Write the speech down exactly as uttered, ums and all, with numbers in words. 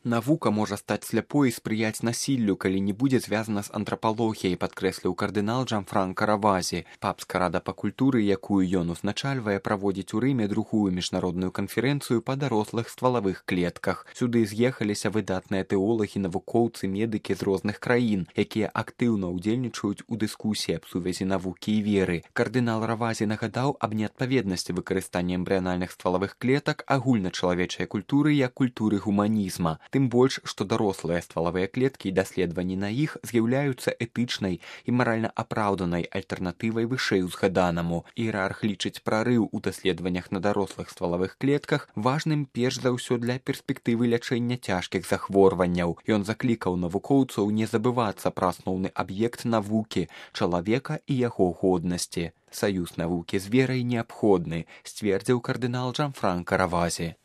Навука можа стаць сляпой і спрыяць насіллю, калі не будзе звязана з антрапалогіяй, падкрэсліў кардынал Джанфранка Равазі. Папска рада па культуры, якую ён узначальвае, праводзіць у Рыме другую міжнародную канферэнцыю па дарослых ствалавых клетках. Сюды з'ехаліся выдатныя тэолагі, навукоўцы, медыкі з розных краін, якія актыўна ўдзельнічаюць у дыскусіі аб сувязі навукі і веры. Кардынал Равазі нагадаў аб неадпаведнасці выкарыстання эмбрыянальных ствалавых клетак агульначалавечай культуры як культуры гуманізма. Тым больш, што дарослыя ствалавыя клеткі і даследаванні на іх з'яўляюцца этычнай і маральна апраўданай альтэрнатывай вышэй узгаданаму. Іерарх лічыць прарыў у даследаваннях на дарослых ствалавых клетках важным перш за ўсё для перспектывы лячэння цяжкіх захворванняў. Ён заклікаў навукоўцаў не забывацца пра асноўны аб'ект навукі, чалавека і яго годнасці. Саюз навукі з верай неабходны, сцвердзіў кардынал Джанфранка Равазі.